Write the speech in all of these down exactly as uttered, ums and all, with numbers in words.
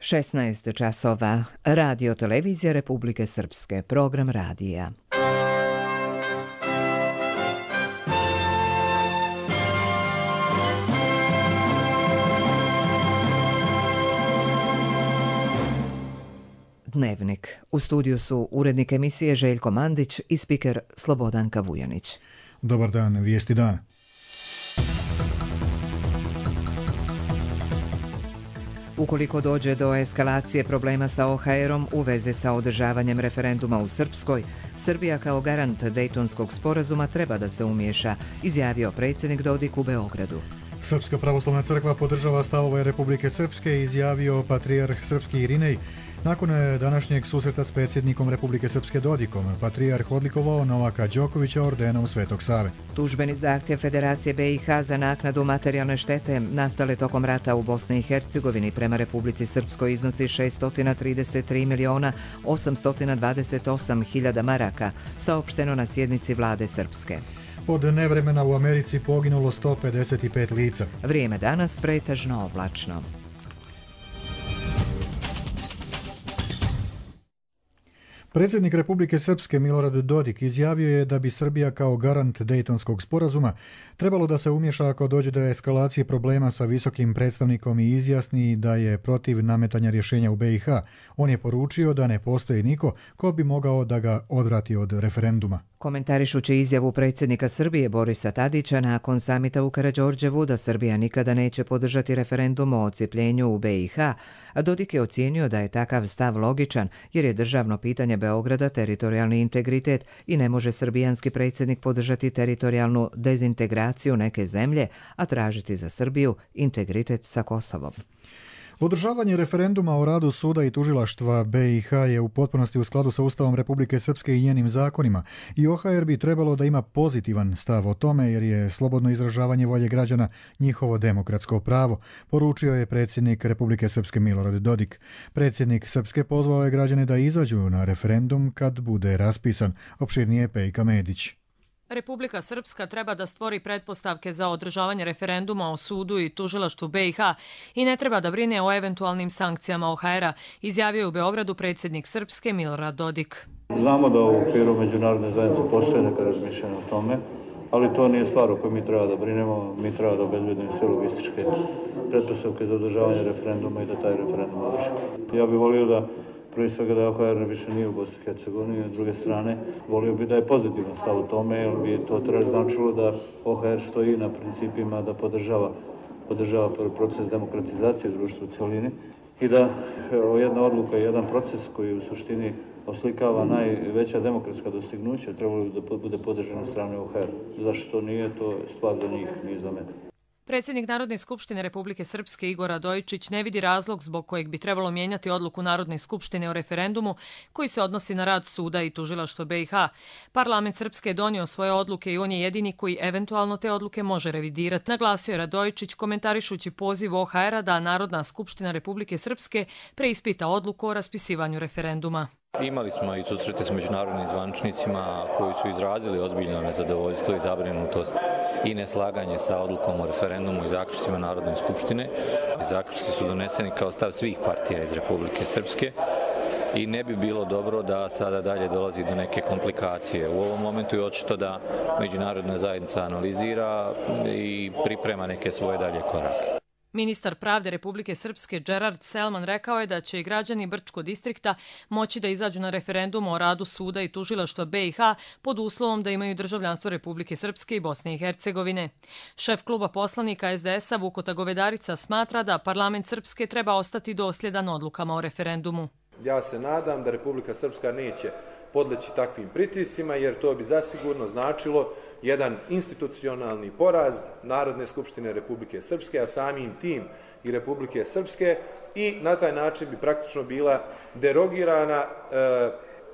šesnaest časova. Radio Televizija Republike Srpske. Program radija. Dnevnik. U studiju su urednik emisije Željko Mandić i spiker Slobodanka Vujanić. Dobar dan, vijesti dana. Ukoliko dođe do eskalacije problema sa O H R-om u vezi sa održavanjem referenduma u Srpskoj, Srbija kao garant Dejtonskog sporazuma treba da se umiješa, izjavio predsjednik Dodik u Beogradu. Srpska pravoslavna crkva podržava stavove Republike Srpske, izjavio patrijarh srpski Irinej. Nakon današnjeg susreta s predsjednikom Republike Srpske Dodikom, patrijarh odlikovao Novaka Đokovića ordenom Svetog Save. Tužbeni zahtjev Federacije B i H za naknadu materijalne štete nastale tokom rata u Bosni i Hercegovini prema Republici Srpskoj iznosi šessto trideset tri miliona osamsto dvadeset osam hiljada maraka, saopšteno na sjednici vlade Srpske. Od nevremena u Americi poginulo sto pedeset pet lica. Vrijeme danas pretežno oblačno. Predsjednik Republike Srpske Milorad Dodik izjavio je da bi Srbija kao garant Dejtonskog sporazuma trebalo da se umješa ako dođe do eskalacije problema sa visokim predstavnikom i izjasni da je protiv nametanja rješenja u B i H. On je poručio da ne postoji niko ko bi mogao da ga odvrati od referenduma. Komentarišući izjavu predsjednika Srbije Borisa Tadića nakon samita u Karađorđevu da Srbija nikada neće podržati referendum o odcijepljenju u B i H, Dodik je ocijenio da je takav stav logičan jer je državno pitanje Beograda teritorijalni integritet i ne može srbijanski predsjednik podržati teritorijalnu dezintegraciju neke zemlje, a tražiti za Srbiju integritet sa Kosovom. Održavanje referenduma o radu suda i tužilaštva B i H je u potpunosti u skladu sa Ustavom Republike Srpske i njenim zakonima i O H R bi trebalo da ima pozitivan stav o tome jer je slobodno izražavanje volje građana njihovo demokratsko pravo, poručio je predsjednik Republike Srpske Milorad Dodik. Predsjednik Srpske pozvao je građane da izađu na referendum kad bude raspisan, opširnije Pejka Medić. Republika Srpska treba da stvori pretpostavke za održavanje referenduma o sudu i tužilaštvu B i H i ne treba da brine o eventualnim sankcijama O H R-a, izjavio je u Beogradu predsjednik Srpske Milorad Dodik. Znamo da u okviru međunarodne zajednice postoje neka razmišljanja o tome, ali to nije stvar o kojoj mi treba da brinemo, mi treba da obezbedimo sve logističke pretpostavke za održavanje referenduma i da taj referendum održi. Ja bih volio da prvi svega da O H R više nije u Bosni i Hercegovini, s druge strane volio bi da je pozitivan stav u tome, jer bi to treba značilo da O H R stoji na principima da podržava, podržava proces demokratizacije društva u cijelini i da evo, jedna odluka i jedan proces koji u suštini oslikava najveća demokratska dostignuća trebalo bi da bude podržan od strane O H R. Zašto to nije, to je stvar za njih, nije za mene. Predsjednik Narodne skupštine Republike Srpske Igor Radojičić ne vidi razlog zbog kojeg bi trebalo mijenjati odluku Narodne skupštine o referendumu koji se odnosi na rad suda i tužilaštva B i H. Parlament Srpske je donio svoje odluke i on je jedini koji eventualno te odluke može revidirati, naglasio je Radojičić komentarišući poziv O H R-a da Narodna skupština Republike Srpske preispita odluku o raspisivanju referenduma. Imali smo i susrete s međunarodnim zvaničnicima koji su izrazili ozbiljno nezadovoljstvo i zabrinutost i neslaganje sa odlukom o referendumu i zaključcima Narodne skupštine. Zaključci su doneseni kao stav svih partija iz Republike Srpske i ne bi bilo dobro da sada dalje dolazi do neke komplikacije. U ovom momentu je očito da međunarodna zajednica analizira i priprema neke svoje dalje korake. Ministar pravde Republike Srpske Gerard Selman rekao je da će i građani Brčkog distrikta moći da izađu na referendum o radu suda i tužilaštva B i H pod uslovom da imaju državljanstvo Republike Srpske i Bosne i Hercegovine. Šef kluba poslanika S D S-a Vukota Govedarica smatra da parlament Srpske treba ostati dosljedan odlukama o referendumu. Ja se nadam da Republika Srpska neće podleći takvim pritiscima, jer to bi zasigurno značilo jedan institucionalni poraz Narodne skupštine Republike Srpske, a samim tim i Republike Srpske, i na taj način bi praktično bila derogirana e,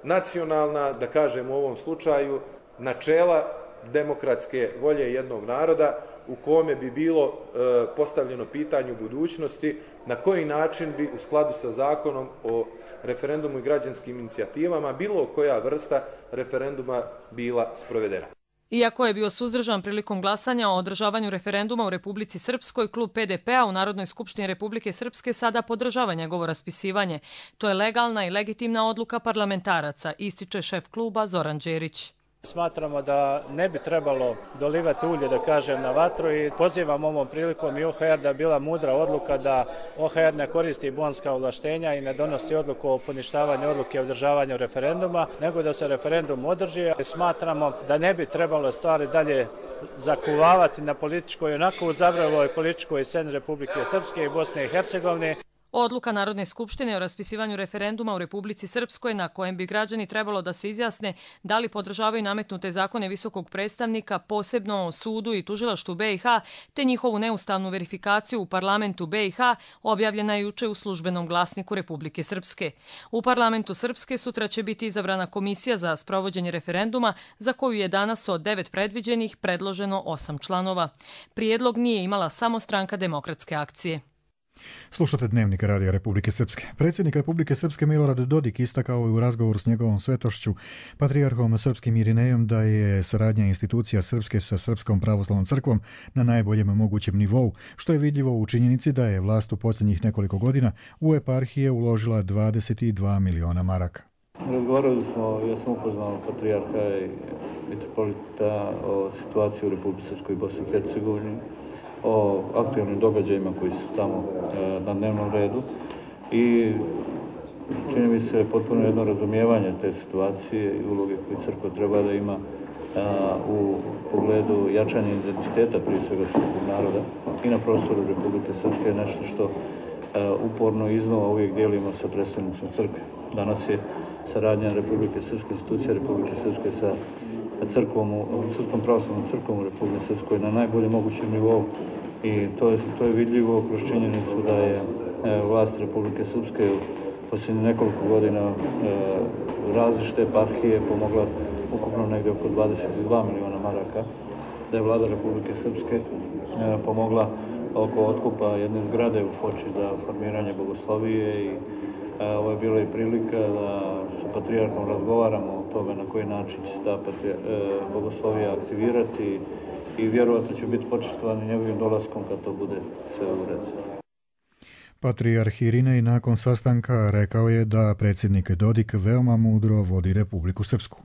nacionalna, da kažem u ovom slučaju, načela demokratske volje jednog naroda u kome bi bilo e, postavljeno pitanje u budućnosti na koji način bi u skladu sa zakonom o referendumu i građanskim inicijativama bilo koja vrsta referenduma bila sprovedena. Iako je bio suzdržan prilikom glasanja o održavanju referenduma u Republici Srpskoj, klub P D P-a u Narodnoj skupštini Republike Srpske sada podržava njegovo raspisivanje. To je legalna i legitimna odluka parlamentaraca, ističe šef kluba Zoran Đerić. Smatramo da ne bi trebalo dolivati ulje, da kažem, na vatru i pozivam ovom prilikom i O H R da je bila mudra odluka da O H R ne koristi bonska ovlaštenja i ne donosi odluku o poništavanju odluke o održavanju referenduma, nego da se referendum održi. Smatramo da ne bi trebalo stvari dalje zakuvavati na političkoj, onako uzavreloj političkoj sceni Republike Srpske i Bosne i Hercegovine. Odluka Narodne skupštine o raspisivanju referenduma u Republici Srpskoj na kojem bi građani trebalo da se izjasne da li podržavaju nametnute zakone visokog predstavnika, posebno o sudu i tužilaštvu B i H, te njihovu neustavnu verifikaciju u parlamentu B i H, objavljena je juče u službenom glasniku Republike Srpske. U parlamentu Srpske sutra će biti izabrana komisija za sprovođenje referenduma, za koju je danas od devet predviđenih predloženo osam članova. Prijedlog nije imala samo Stranka demokratske akcije. Slušate Dnevnik Radija Republike Srpske. Predsjednik Republike Srpske Milorad Dodik istakao je u razgovoru s njegovom svetošću, patrijarhom srpskim Irinejom, da je saradnja institucija Srpske sa Srpskom pravoslavnom crkvom na najboljem mogućem nivou, što je vidljivo u činjenici da je vlast u posljednjih nekoliko godina u eparhije uložila dvadeset dva miliona maraka. Razgovarali smo, ja sam upoznao patrijarha i mitropolita o situaciji u Republike Srpskoj i Bosni i Hercegovini, o aktualnim događajima koji su tamo e, na dnevnom redu i čini mi se potpuno jedno razumijevanje te situacije i uloge koju crkva treba da ima a, u pogledu jačanja identiteta prije svega srpskog naroda i na prostoru Republike Srpske je nešto što a, uporno iznova uvijek dijelimo sa predstavnicom crkve. Danas je saradnja Republike Srpske, institucija Republike Srpske sa crkvom, Srpskom pravoslavnom crkvom u Republike Srpskoj na najboljem mogućem nivou i to je, to je vidljivo kroz činjenicu da je e, vlast Republike Srpske u posljednjih nekoliko godina e, različite eparhije pomogla ukupno negdje oko dvadeset dva miliona maraka, da je vlada Republike Srpske e, pomogla oko otkupa jedne zgrade u Foči za formiranje bogoslovije i ovo je bila i prilika da sa patrijarhom razgovaramo o tome na koji način će se ta bogoslovija aktivirati i vjerovatno će biti počestvovani njegovim dolaskom kad to bude sve u redu. Patrijarh Irinej nakon sastanka rekao je da predsjednik Dodik veoma mudro vodi Republiku Srpsku.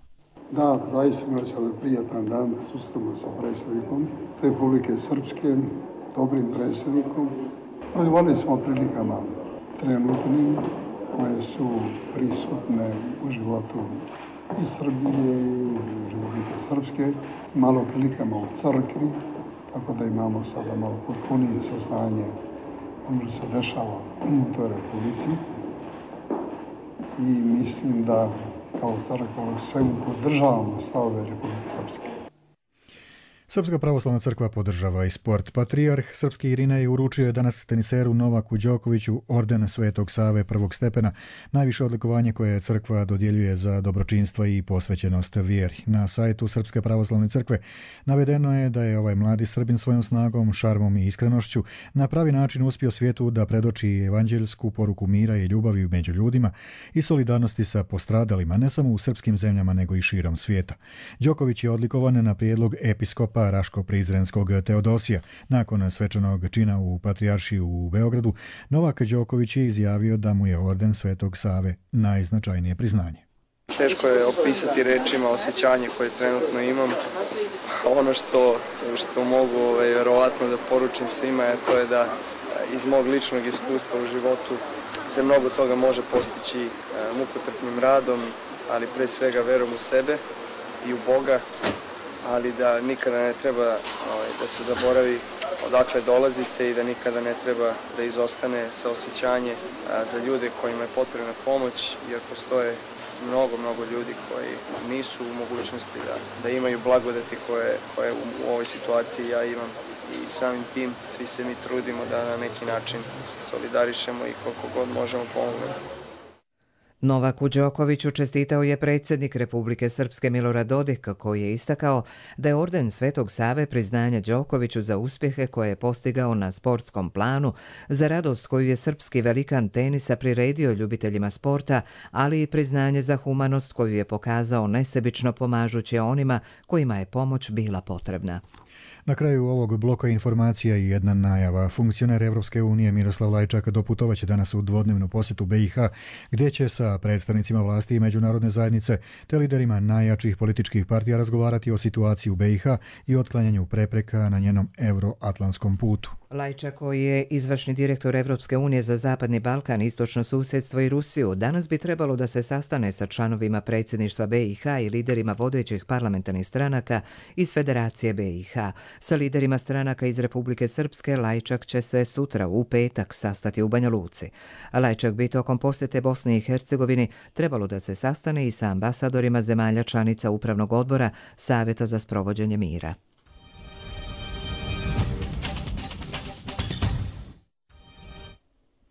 Da, zaista imali smo prijatan dan da susretamo sa predsjednikom Republike Srpske, dobrim predsjednikom. Razgovarali smo o prilikama trenutnim koje su prisutne u životu i Srbije i Republike Srpske, malo prilikama u crkvi, tako da imamo sada malo potpunije saznanje ono što se dešava u toj republici. I mislim da kao crkva svemu podržavamo stavove Republike Srpske. Srpska pravoslavna crkva podržava i sport. Patrijarh srpski Irinej uručio je danas teniseru Novaku Đokoviću orden Svetog Save prvog stepena, najviše odlikovanje koje crkva dodjeljuje za dobročinstvo i posvećenost vjeri. Na sajtu Srpske pravoslavne crkve navedeno je da je ovaj mladi Srbin svojom snagom, šarmom i iskrenošću na pravi način uspio svijetu da predoči evanđeljsku poruku mira i ljubavi među ljudima i solidarnosti sa postradalima, ne samo u srpskim zemljama nego i širom svijeta. Đoković je odlikovan na prijedlog episkopa Raško-Prizrenskog Teodosija. Nakon svečanog čina u Patrijaršiji u Beogradu, Novak Đoković je izjavio da mu je orden Svetog Save najznačajnije priznanje. Teško je opisati rečima osjećanje koje trenutno imam. Ono što, što mogu ovaj, vjerovatno da poručim svima je to je da iz mog ličnog iskustva u životu se mnogo toga može postići mukotrpnim radom, ali pre svega verom u sebe i u Boga, ali da nikada ne treba ovaj, da se zaboravi odakle dolazite i da nikada ne treba da izostane saosjećanje a, za ljude kojima je potrebna pomoć, jer postoje mnogo, mnogo ljudi koji nisu u mogućnosti da, da imaju blagodati koje, koje u, u ovoj situaciji ja imam. I samim tim svi se mi trudimo da na neki način se solidarišemo i koliko god možemo pomognemo. Novaku Đokoviću čestitao je predsjednik Republike Srpske Milorad Dodik, koji je istakao da je orden Svetog Save priznanje Đokoviću za uspjehe koje je postigao na sportskom planu, za radost koju je srpski velikan tenisa priredio ljubiteljima sporta, ali i priznanje za humanost koju je pokazao nesebično pomažući onima kojima je pomoć bila potrebna. Na kraju ovog bloka informacija i jedna najava. Funkcioner Evropske unije Miroslav Lajčak doputovaće danas u dvodnevnu posjetu B i H, gdje će sa predstavnicima vlasti i međunarodne zajednice te liderima najjačih političkih partija razgovarati o situaciji u B i H i otklanjanju prepreka na njenom euroatlantskom putu. Lajčak, koji je izvršni direktor Evropske unije za Zapadni Balkan, istočno susjedstvo i Rusiju, danas bi trebalo da se sastane sa članovima predsjedništva B i H i liderima vodećih parlamentarnih stranaka iz Federacije B i H. Sa liderima stranaka iz Republike Srpske Lajčak će se sutra u petak sastati u Banja Luci. Lajčak bi tokom posjete Bosni i Hercegovini trebalo da se sastane i sa ambasadorima zemalja članica Upravnog odbora Savjeta za sprovođenje mira.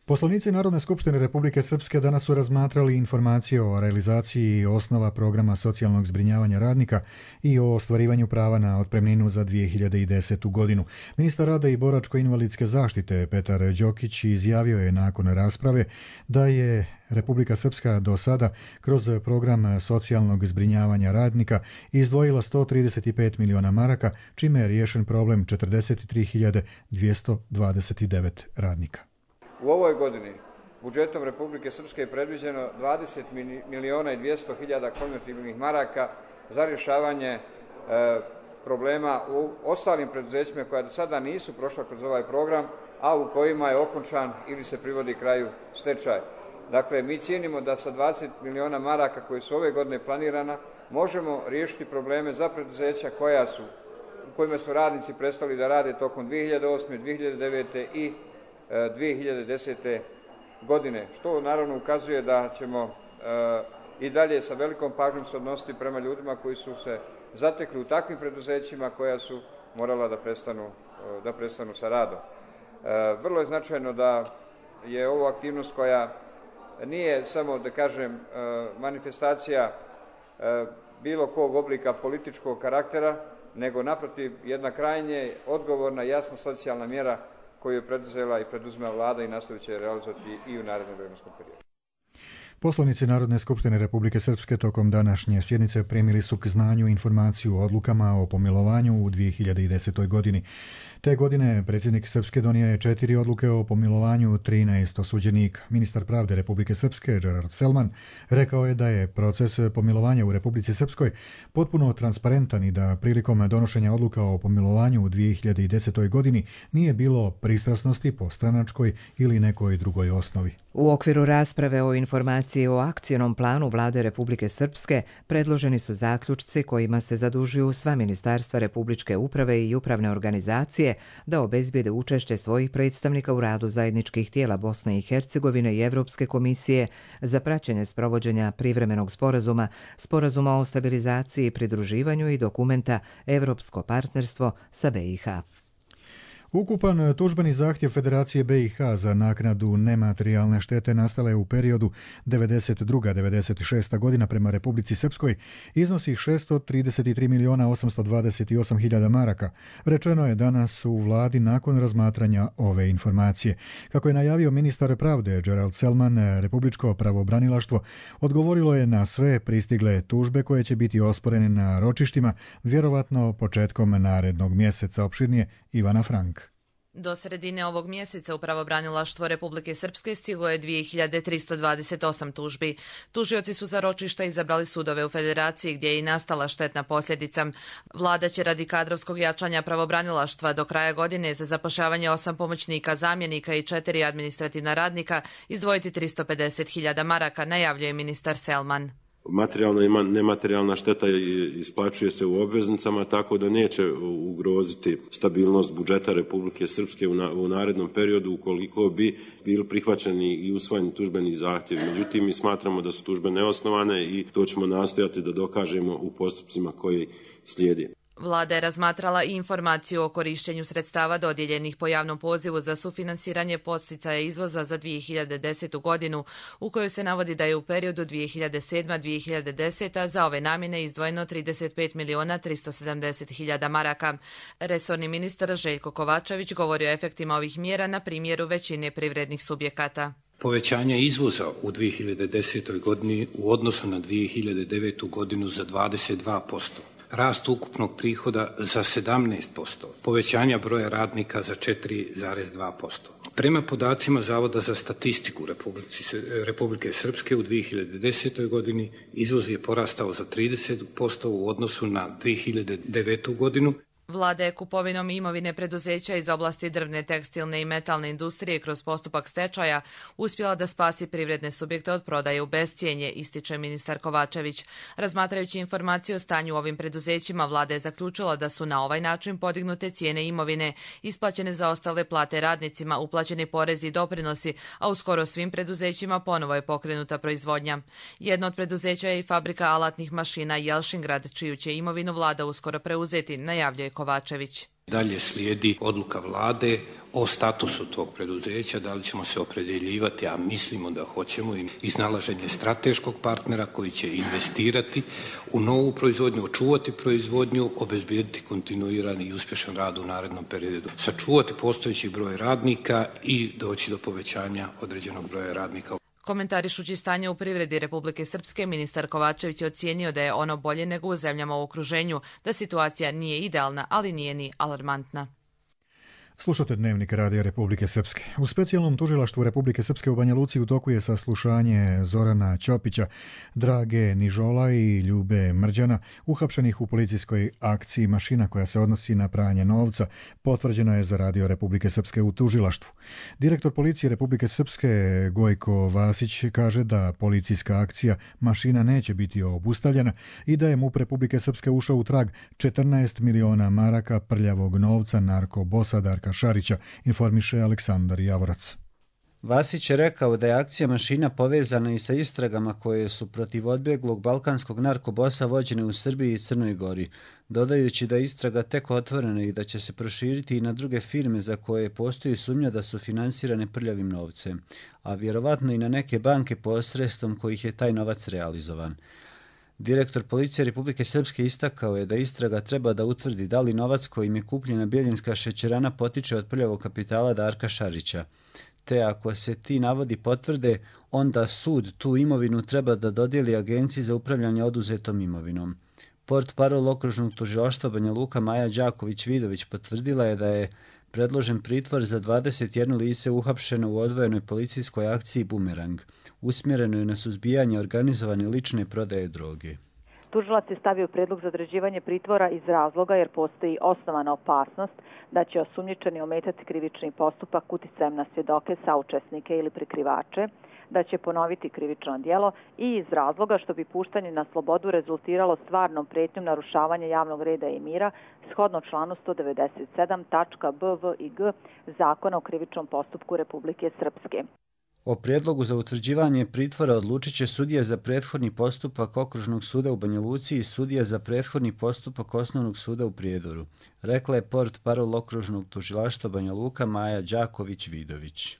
Poslanici Narodne skupštine Republike Srpske danas su razmatrali informacije o realizaciji osnova programa socijalnog zbrinjavanja radnika i o ostvarivanju prava na otpremninu za dvije hiljade desetu. godinu. Ministar rada i boračko-invalidske zaštite Petar Đokić izjavio je nakon rasprave da je Republika Srpska do sada kroz program socijalnog zbrinjavanja radnika izdvojila sto trideset pet miliona maraka, čime je riješen problem četrdeset tri hiljade dvjesto dvadeset devet radnika. U ovoj godini budžetom Republike Srpske je predviđeno dvadeset miliona i dvjesto hiljada konvertibilnih maraka za rješavanje e, problema u ostalim preduzećima koja do sada nisu prošla kroz ovaj program, a u kojima je okončan ili se privodi kraju stečaj. Dakle, mi cijenimo da sa dvadeset miliona maraka koji su ove godine planirana možemo riješiti probleme za preduzeća koja su, u kojima su radnici prestali da rade tokom dvije hiljade osme, dvije hiljade devete i dvije hiljade desete. godine, što naravno ukazuje da ćemo e, i dalje sa velikom pažnjom se odnositi prema ljudima koji su se zatekli u takvim preduzećima koja su morala da prestanu, da prestanu sa radom. E, vrlo je značajno da je ovo aktivnost koja nije samo, da kažem, manifestacija e, bilo kog oblika političkog karaktera, nego naprotiv jedna krajnje odgovorna, jasna socijalna mjera koju je preduzela i preduzima vlada i nastavit će realizovati i u narednom vremenskom periodu. Poslanici Narodne skupštine Republike Srpske tokom današnje sjednice primili su k znanju informaciju o odlukama o pomilovanju u dvije hiljade desetoj. godini. Te godine predsjednik Srpske donio je četiri odluke o pomilovanju trinaest osuđenika. Ministar pravde Republike Srpske Gerard Selman rekao je da je proces pomilovanja u Republici Srpskoj potpuno transparentan i da prilikom donošenja odluka o pomilovanju u dvije hiljade desetoj. godini nije bilo pristrasnosti po stranačkoj ili nekoj drugoj osnovi. U okviru rasprave o informaciji o akcijnom planu Vlade Republike Srpske predloženi su zaključci kojima se zadužuju sva ministarstva Republičke uprave i upravne organizacije da obezbijede učešće svojih predstavnika u radu zajedničkih tijela Bosne i Hercegovine i Evropske komisije za praćenje sprovođenja privremenog sporazuma, sporazuma o stabilizaciji i pridruživanju i dokumenta Evropsko partnerstvo sa B i H. Ukupan tužbeni zahtjev Federacije B i H za naknadu nematerijalne štete nastale u periodu devedeset druga do devedeset šesta. godina prema Republici Srpskoj iznosi šesto trideset tri miliona osamsto dvadeset osam hiljada maraka. Rečeno je danas u vladi nakon razmatranja ove informacije. Kako je najavio ministar pravde Gerald Selman, Republičko pravobranilaštvo odgovorilo je na sve pristigle tužbe koje će biti osporene na ročištima, vjerovatno početkom narednog mjeseca. Opširnije Ivana Frank. Do sredine ovog mjeseca u pravobranilaštvo Republike Srpske stiglo je dvije hiljade tristo dvadeset osam tužbi. Tužioci su za ročišta izabrali sudove u Federaciji gdje je i nastala štetna posljedica. Vlada će radi kadrovskog jačanja pravobranilaštva do kraja godine za zapošljavanje osam pomoćnika, zamjenika i četiri administrativna radnika izdvojiti tristo pedeset hiljada maraka, najavljuje ministar Selman. Materijalna i nematerijalna šteta isplaćuje se u obveznicama, tako da neće ugroziti stabilnost budžeta Republike Srpske u narednom periodu ukoliko bi bili prihvaćeni i usvojeni tužbeni zahtjevi. Međutim, mi smatramo da su tužbe neosnovane i to ćemo nastojati da dokažemo u postupcima koji slijedi. Vlada je razmatrala i informaciju o korišćenju sredstava dodijeljenih po javnom pozivu za sufinansiranje podsticaja izvoza za dvije hiljade desetu godinu, u kojoj se navodi da je u periodu dvije hiljade sedma do dvije hiljade desete. za ove namjene izdvojeno trideset pet miliona tristo sedamdeset hiljada maraka. Resorni ministar Željko Kovačević govori o efektima ovih mjera na primjeru većine privrednih subjekata. Povećanje izvoza u dvije hiljade desetoj godini u odnosu na dvije hiljade devetu godinu za dvadeset dva posto. Rast ukupnog prihoda za sedamnaest posto, povećanja broja radnika za četiri zarez dva posto. Prema podacima Zavoda za statistiku Republike Srpske u dvije hiljade desetoj godini izvoz je porastao za trideset posto u odnosu na dvije hiljade devetu godinu. Vlada je kupovinom imovine preduzeća iz oblasti drvne, tekstilne i metalne industrije kroz postupak stečaja uspjela da spasi privredne subjekte od prodaje u bescijenje, ističe ministar Kovačević. Razmatrajući informaciju o stanju u ovim preduzećima, Vlada je zaključila da su na ovaj način podignute cijene imovine, isplaćene za ostale plate radnicima, uplaćeni porezi i doprinosi, a u skoro svim preduzećima ponovo je pokrenuta proizvodnja. Jedno od preduzeća je i fabrika alatnih mašina Jelšingrad, čiju će imovinu Vlada uskoro preuzeti, najavljuje Kovačević. Dalje slijedi odluka Vlade o statusu tog preduzeća, da li ćemo se opredjeljivati, a mislimo da hoćemo, iznalaženje strateškog partnera koji će investirati u novu proizvodnju, očuvati proizvodnju, obezbijediti kontinuirani i uspješan rad u narednom periodu, sačuvati postojeći broj radnika i doći do povećanja određenog broja radnika. Komentarišući stanje u privredi Republike Srpske, ministar Kovačević je ocijenio da je ono bolje nego u zemljama u okruženju, da situacija nije idealna, ali nije ni alarmantna. Slušate Dnevnik Radija Republike Srpske. U specijalnom tužilaštvu Republike Srpske u Banja Luci u toku je saslušanje Zorana Ćopića, Drage Nižola i Ljube Mrđana, uhapšenih u policijskoj akciji Mašina koja se odnosi na pranje novca, potvrđeno je za Radio Republike Srpske u tužilaštvu. Direktor policije Republike Srpske Gojko Vasić kaže da policijska akcija Mašina neće biti obustavljena i da je MUP Republike Srpske ušao u trag četrnaest miliona maraka prljavog novca narkobosa Darka Šarića, informiše Aleksandar Javorac. Vasić je rekao da je akcija Mašina povezana i sa istragama koje su protiv odbjeglog balkanskog narkobosa vođene u Srbiji i Crnoj Gori, dodajući da je istraga tek otvorena i da će se proširiti i na druge firme za koje postoji sumnja da su finansirane prljavim novcem, a vjerovatno i na neke banke posredstvom kojih je taj novac realizovan. Direktor policije Republike Srpske istakao je da istraga treba da utvrdi da li novac kojim je kupljena Bjeljinska šećerana potiče od prljavog kapitala Darka Šarića. Te ako se ti navodi potvrde, onda sud tu imovinu treba da dodijeli Agenciji za upravljanje oduzetom imovinom. Portparol okružnog tužilaštva Banja Luka Maja Đaković-Vidović potvrdila je da je predložen pritvor za dvadeset jedno lice uhapšeno u odvojenoj policijskoj akciji Bumerang, usmjerenoj na suzbijanje organizovane lične prodaje droge. Tužilac je stavio predlog za određivanje pritvora iz razloga jer postoji osnovana opasnost da će osumnjičeni ometati krivični postupak uticajem na svjedoke, saučesnike ili prikrivače, da će ponoviti krivično djelo i iz razloga što bi puštanje na slobodu rezultiralo stvarnom pretnjom narušavanja javnog reda i mira shodno članu sto devedeset sedam tačka b, v i g Zakona o krivičnom postupku Republike Srpske. O prijedlogu za utvrđivanje pritvora odlučit će sudija za prethodni postupak Okružnog suda u Banja Luci i sudija za prethodni postupak Osnovnog suda u Prijedoru, rekla je portparol Okružnog tužilaštva Banja Luka Maja Đaković-Vidović.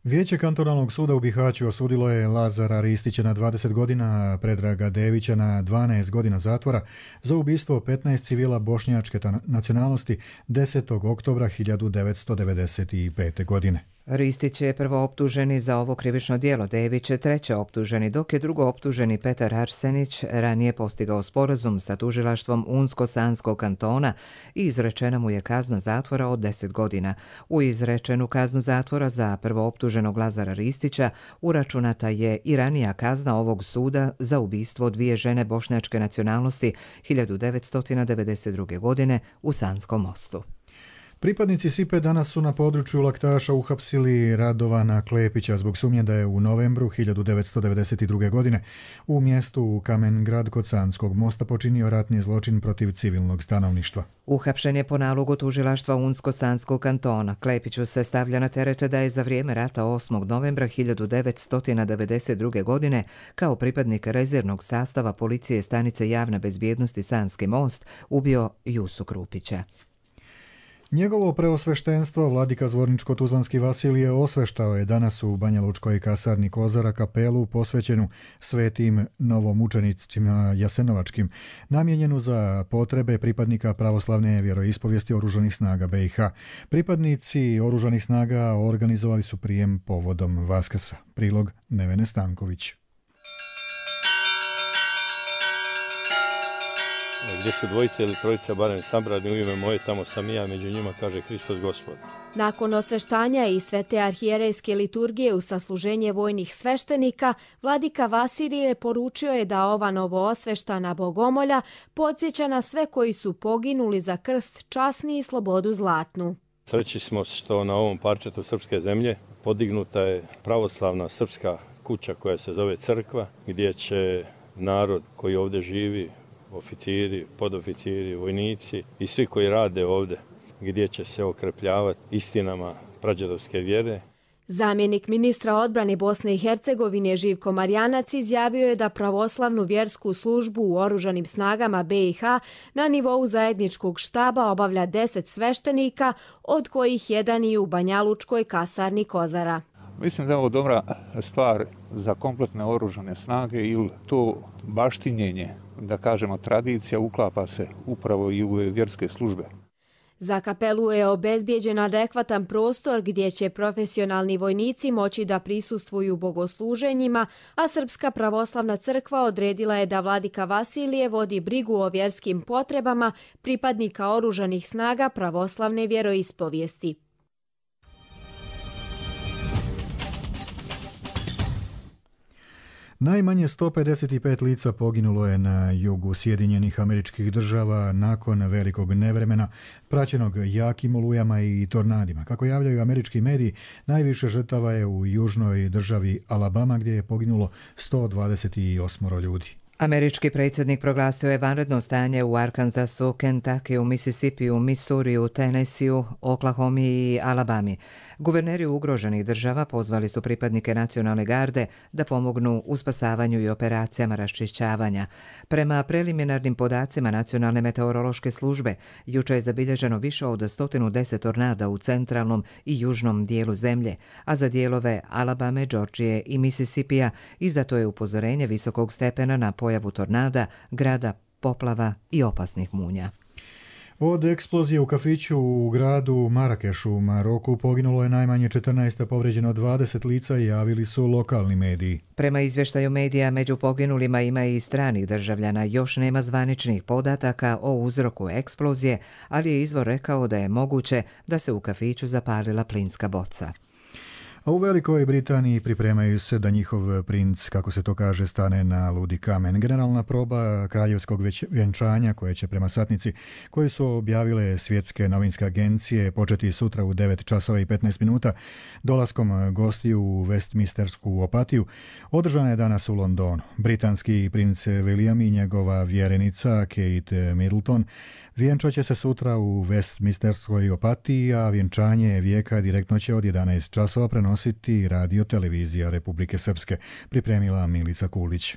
Vijeće kantonalnog suda u Bihaću osudilo je Lazara Ristića na dvadeset godina, Predraga Devića na dvanaest godina zatvora za ubistvo petnaest civila bošnjačke nacionalnosti desetog oktobra hiljadu devetsto devedeset pete. godine. Ristić je prvo optuženi za ovo krivično djelo, Dević je treće optuženi, dok je drugo optuženi Petar Arsenić ranije postigao sporazum sa tužilaštvom Unsko-Sanskog kantona i izrečena mu je kazna zatvora od deset godina. U izrečenu kaznu zatvora za prvo optuženog Lazara Ristića uračunata je i ranija kazna ovog suda za ubistvo dvije žene bošnjačke nacionalnosti hiljadu devetsto devedeset druge. godine u Sanskom mostu. Pripadnici Sipe danas su na području Laktaša uhapsili Radovana Klepića zbog sumnje da je u novembru hiljadu devetsto devedeset druge. godine u mjestu Kamen Grad kod Sanskog mosta počinio ratni zločin protiv civilnog stanovništva. Uhapšen je po nalogu tužilaštva Unsko-Sanskog kantona. Klepiću se stavlja na teret da je za vrijeme rata osmog novembra hiljadu devetsto devedeset druge. godine kao pripadnik rezervnog sastava policije stanice javne bezbjednosti Sanski most ubio Jusu Krupića. Njegovo preosveštenstvo, vladika Zvorničko-Tuzlanski Vasilije, osveštao je danas u Banja Lučkoj kasarni Kozara kapelu posvećenu svetim novomučenicima jasenovačkim, namijenjenu za potrebe pripadnika pravoslavne vjeroispovijesti Oružanih snaga B i H. Pripadnici Oružanih snaga organizovali su prijem povodom Vaskrsa. Prilog Nevene Stanković. Gdje su dvojice ili trojica barem sabrani u ime moje, tamo sam i ja, među njima, kaže Hristos Gospod. Nakon osveštanja i svete arhijerejske liturgije u sasluženje vojnih sveštenika, vladika Vasilije poručio je da ova novoosveštana bogomolja podsjeća na sve koji su poginuli za krst časni i slobodu zlatnu. Sreći smo što na ovom parčetu srpske zemlje podignuta je pravoslavna srpska kuća koja se zove crkva, gdje će narod koji ovdje živi, oficiri, podoficiri, vojnici i svi koji rade ovdje, gdje će se okrepljavati istinama prađedovske vjere. Zamjenik ministra odbrane Bosne i Hercegovine Živko Marjanac izjavio je da pravoslavnu vjersku službu u Oružanim snagama B i H na nivou zajedničkog štaba obavlja deset sveštenika, od kojih jedan i u Banjalučkoj kasarni Kozara. Mislim da je ovo dobra stvar za kompletne oružane snage ili to baštinjenje, da kažemo tradicija, uklapa se upravo i u vjerske službe. Za kapelu je obezbijeđen adekvatan prostor gdje će profesionalni vojnici moći da prisustvuju bogosluženjima, a Srpska pravoslavna crkva odredila je da vladika Vasilije vodi brigu o vjerskim potrebama pripadnika Oružanih snaga pravoslavne vjeroispovijesti. Najmanje sto pedeset pet lica poginulo je na jugu Sjedinjenih Američkih Država nakon velikog nevremena, praćenog jakim olujama i tornadima. Kako javljaju američki mediji, najviše žrtava je u južnoj državi Alabama, gdje je poginulo sto dvadeset osam ljudi. Američki predsjednik proglasio je vanredno stanje u Arkansasu, Kentuckyu, Mississipiju, Missouriju, Tennesseeu, Oklahomi i Alabami. Guverneri ugroženih država pozvali su pripadnike nacionalne garde da pomognu u spasavanju i operacijama raščišćavanja. Prema preliminarnim podacima Nacionalne meteorološke službe, juče je zabilježeno više od sto deset tornada u centralnom i južnom dijelu zemlje, a za dijelove Alabame, Georgije i Mississippija izdato je upozorenje visokog stepena na pojavu tornada, grada, poplava i opasnih munja. Od eksplozije u kafiću u gradu Marakešu u Maroku poginulo je najmanje četrnaest, a povređeno dvadeset lica, javili su lokalni mediji. Prema izvještaju medija, među poginulima ima i stranih državljana. Još nema zvaničnih podataka o uzroku eksplozije, ali je izvor rekao da je moguće da se u kafiću zapalila plinska boca. A u Velikoj Britaniji pripremaju se da njihov princ, kako se to kaže, stane na ludi kamen. Generalna proba kraljevskog vjenčanja, koje će prema satnici koji su objavile svjetske novinske agencije početi sutra u devet časova i petnaest minuta, dolaskom gostiju u Westminstersku opatiju, održana je danas u Londonu. Britanski princ William i njegova vjerenica Kate Middleton vjenčat će se sutra u Westminsterskoj opatiji, a vjenčanje vijeka direktno će od jedanaest časova prenositi radio televizija Republike Srpske, pripremila Milica Kulić.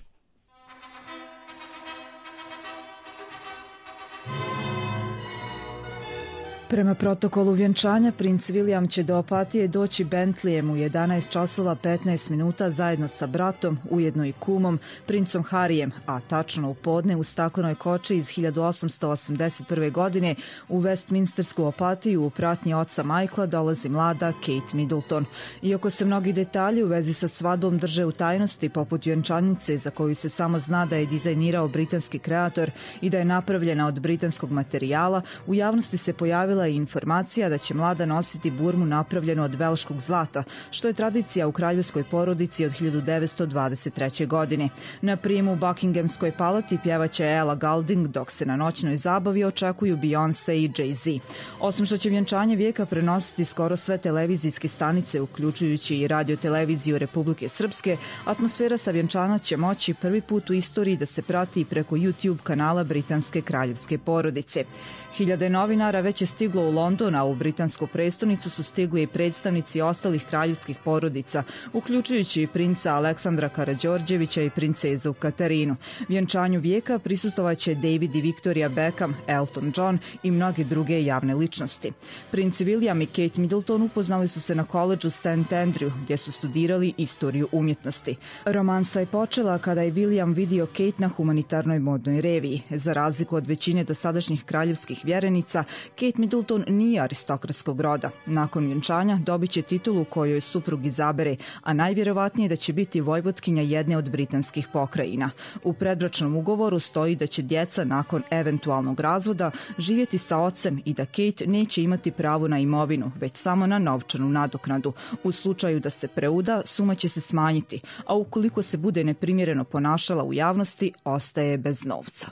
Prema protokolu vjenčanja, princ William će do opatije doći Bentleyem u jedanaest časova petnaest minuta zajedno sa bratom, ujedno i kumom, princom Harijem, a tačno u podne u staklenoj koči iz hiljadu osamsto osamdeset prve. godine u Westminstersku opatiju u pratnji oca Michaela dolazi mlada Kate Middleton. Iako se mnogi detalji u vezi sa svadbom drže u tajnosti, poput vjenčanice za koju se samo zna da je dizajnirao britanski kreator i da je napravljena od britanskog materijala, u javnosti se pojavila pojavila je informacija da će mlada nositi burmu napravljenu od velškog zlata, što je tradicija u kraljevskoj porodici od hiljadu devetsto dvadeset treće. godine. Na prijemu u Buckinghamskoj palati pjevaće Ella Goulding, dok se na noćnoj zabavi očekuju Beyoncé i Jay-Z. Osim što će vjenčanje vijeka prenositi skoro sve televizijske stanice, uključujući i radio-televiziju Republike Srpske, atmosfera sa vjenčana će moći prvi put u istoriji da se prati preko YouTube kanala britanske kraljevske porodice. Hiljade novinara već je stiglo u London, a u britansku prestonicu su stigli i predstavnici ostalih kraljevskih porodica, uključujući i princa Aleksandra Karađorđevića i princezu Katarinu. Vjenčanju vijeka prisustovaće David i Victoria Beckham, Elton John i mnoge druge javne ličnosti. Princ William i Kate Middleton upoznali su se na koledžu Saint Andrew, gdje su studirali istoriju umjetnosti. Romansa je počela kada je William vidio Kate na humanitarnoj modnoj reviji. Za razliku od većine dosadašnjih kraljevskih vjerenica, Kate Middleton nije aristokratskog roda. Nakon vjenčanja dobit će titulu koju joj suprug izabere, a najvjerovatnije da će biti vojvotkinja jedne od britanskih pokrajina. U predbračnom ugovoru stoji da će djeca nakon eventualnog razvoda živjeti sa ocem i da Kate neće imati pravo na imovinu, već samo na novčanu nadoknadu. U slučaju da se preuda, suma će se smanjiti, a ukoliko se bude neprimjereno ponašala u javnosti, ostaje bez novca.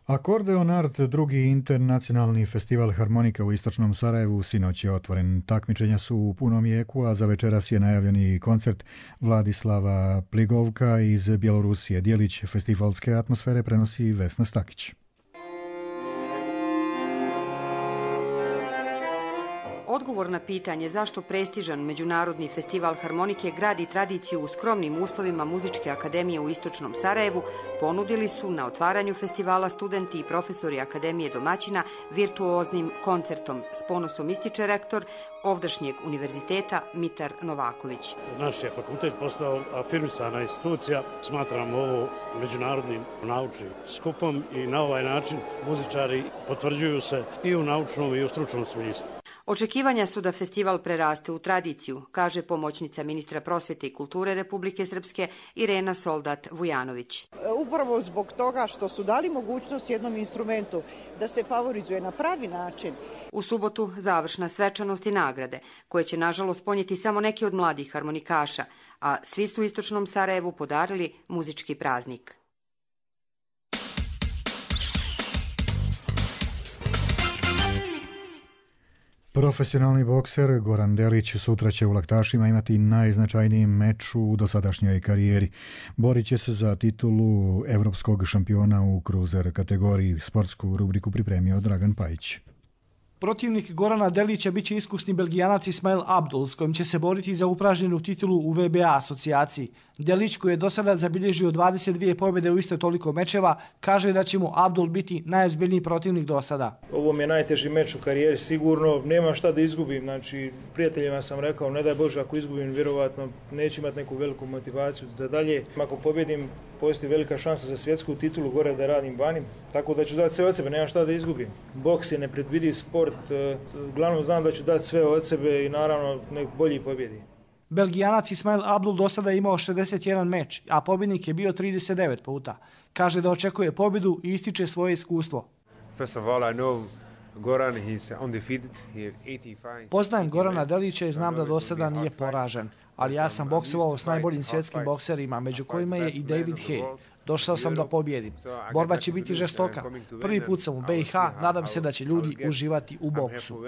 Akordeon Art, drugi internacionalni festival harmonika u istočnom Sarajevu, sinoć je otvoren. Takmičenja su u punom jeku, a za večeras je najavljeni koncert Vladislava Pligovka iz Bjelorusije. Dijelić festivalske atmosfere prenosi Vesna Stakić. Odgovor na pitanje zašto prestižan međunarodni festival harmonike gradi tradiciju u skromnim uslovima Muzičke akademije u istočnom Sarajevu ponudili su na otvaranju festivala studenti i profesori Akademije domaćina virtuoznim koncertom. S ponosom ističe rektor ovdašnjeg univerziteta Mitar Novaković. Naš je fakultet postao afirmisana institucija. Smatramo ovo međunarodnim naučnim skupom i na ovaj način muzičari potvrđuju se i u naučnom i u stručnom smislu. Očekivanja su da festival preraste u tradiciju, kaže pomoćnica ministra prosvjete i kulture Republike Srpske Irena Soldat-Vujanović. Upravo zbog toga što su dali mogućnost jednom instrumentu da se favorizuje na pravi način. U subotu završna svečanost i nagrade, koje će nažalost ponijeti samo neki od mladih harmonikaša, a svi su u istočnom Sarajevu podarili muzički praznik. Profesionalni bokser Goran Delić sutra će u Laktašima imati najznačajniji meč u dosadašnjoj karijeri. Borit će se za titulu evropskog šampiona u kruzer kategoriji. Sportsku rubriku pripremio Dragan Pajić. Protivnik Gorana Delića biće iskusni Belgijanac Ismail Abdul, s kojim će se boriti za upražnjenu titulu u V B A asocijaciji. Delić, koji je do sada zabilježio dvadeset dvije pobjede u isto toliko mečeva, kaže da će mu Abdul biti najozbiljniji protivnik do sada. Ovo mi je najteži meč u karijeri, sigurno. Nemam šta da izgubim. Znači, prijateljima sam rekao, ne daj Bože, ako izgubim, vjerovatno neću imati neku veliku motivaciju da dalje. Ako pobjedim, postoji velika šansa za svjetsku titulu gore da radim vani. Tako da ću dati sve od sebe, nemam šta da izgubim. Boks je nepredvidiv sport, uglavnom znam da ću dati sve od sebe i naravno nek bolji pobjedi. Belgijanac Ismail Abdul do sada imao šezdeset jedan meč, a pobjednik je bio trideset devet puta. Kaže da očekuje pobjedu i ističe svoje iskustvo. Poznajem Gorana Delića i znam da do sada nije poražen, ali ja sam boksovao s najboljim svjetskim bokserima, među kojima je i David Haye. Došao sam da pobjedim. Borba će biti žestoka. Prvi put sam u B i H, nadam se da će ljudi uživati u boksu.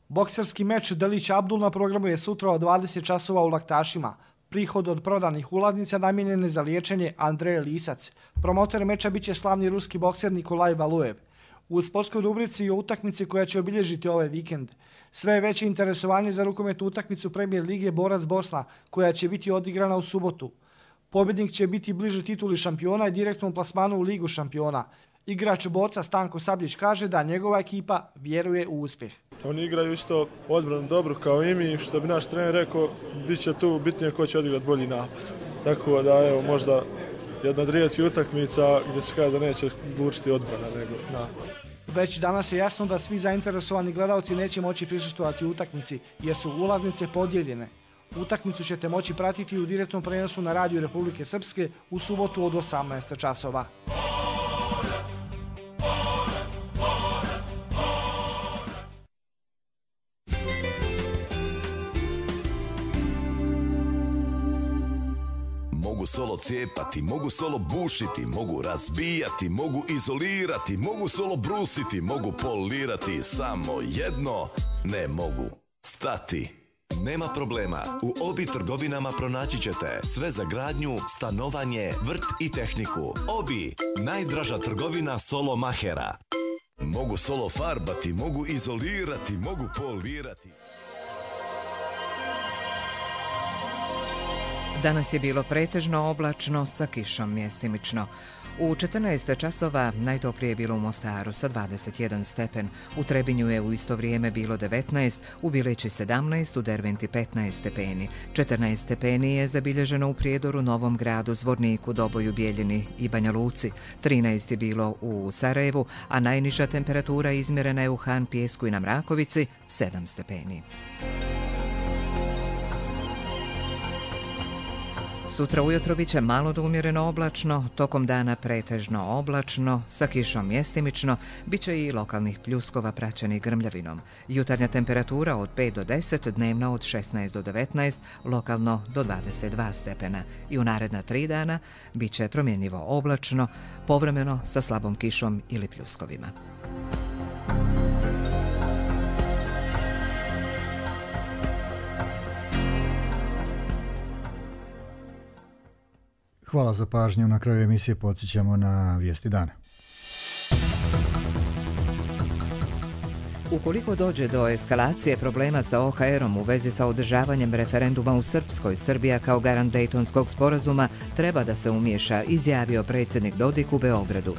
Bokserski meč Delić Abdul na programu je sutra od dvadeset časova u Laktašima. Prihod od prodanih ulaznica namijenjen je za liječenje Andrej Lisac. Promotor meča biće slavni ruski bokser Nikolaj Valuev. U sportskoj rubrici i o utakmici koja će obilježiti ovaj vikend. Sve je veće interesovanje za rukometnu utakmicu Premijer Lige Borac Bosna, koja će biti odigrana u subotu. Pobjednik će biti bliže tituli šampiona i direktnom plasmanu u Ligu šampiona. Igrač Borca Stanko Sabljić kaže da njegova ekipa vjeruje u uspjeh. Oni igraju isto odbranu dobro kao i mi, što bi naš trener rekao, bit će tu bitnije ko će odigrati bolji napad. Tako da evo možda jedna od rijetkih utakmica gdje se kaže da neće odlučiti odbrana nego napad. Već danas je jasno da svi zainteresovani gledalci neće moći prisustvovati u utakmici jer su ulaznice podijeljene. Utakmicu ćete moći pratiti u direktnom prenosu na Radiju Republike Srpske u subotu od osamnaest časova. Mogu solo cijepati, mogu solo bušiti, mogu razbijati, mogu izolirati, mogu solo brusiti, mogu polirati, samo jedno ne mogu stati. Nema problema, u Obi trgovinama pronaći ćete sve za gradnju, stanovanje, vrt i tehniku. Obi, najdraža trgovina solo mahera. Mogu solo farbati, mogu izolirati, mogu polirati. Danas je bilo pretežno oblačno sa kišom mjestimično. U četrnaest časova najtoplije je bilo u Mostaru sa dvadeset jedan stepen, u Trebinju je u isto vrijeme bilo devetnaest, u Bileći sedamnaest, u Derventi petnaest stepeni. četrnaest stepeni je zabilježeno u Prijedoru, Novom Gradu, Zvorniku, Doboju, Bijeljini i Banja Luci. trinaest je bilo u Sarajevu, a najniža temperatura izmjerena je u Han, Pijesku i na Mrakovici, sedam stepeni. Sutra ujutro bit će malo do umjereno oblačno, tokom dana pretežno oblačno, sa kišom mjestimično, bit će i lokalnih pljuskova praćenih grmljavinom. Jutarnja temperatura od pet do deset, dnevna od šesnaest do devetnaest, lokalno do dvadeset dva stepena. I u naredna tri dana bit će promjenjivo oblačno, povremeno sa slabom kišom ili pljuskovima. Hvala za pažnju. Na kraju emisije podsjećamo na vijesti dana. Ukoliko dođe do eskalacije problema sa O H R-om u vezi sa održavanjem referenduma u Srpskoj, Srbija kao garant Dejtonskog sporazuma treba da se umiješa, izjavio predsjednik Dodik u Beogradu.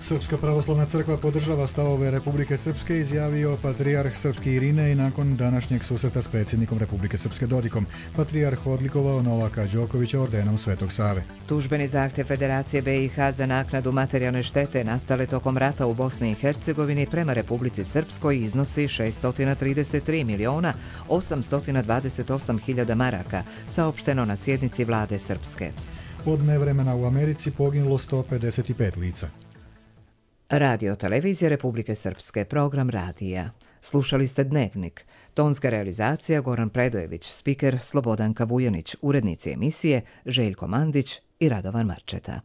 Srpska pravoslavna crkva podržava stavove Republike Srpske, izjavio patrijarh srpski Irinej nakon današnjeg susreta s predsjednikom Republike Srpske Dodikom. Patrijarh odlikovao Novaka Đokovića ordenom Svetog Save. Tužbeni zahtjev Federacije B i H za naknadu materijalne štete nastale tokom rata u Bosni i Hercegovini prema Republici Srpskoj iznosi šesto trideset tri miliona osamsto dvadeset osam hiljada maraka, saopšteno na sjednici vlade Srpske. Od nevremena u Americi poginulo sto pedeset pet lica. Radio Televizija Republike Srpske, program radija. Slušali ste Dnevnik. Tonska realizacija Goran Predojević, spiker Slobodanka Vujanić, urednici emisije Željko Mandić i Radovan Marčeta.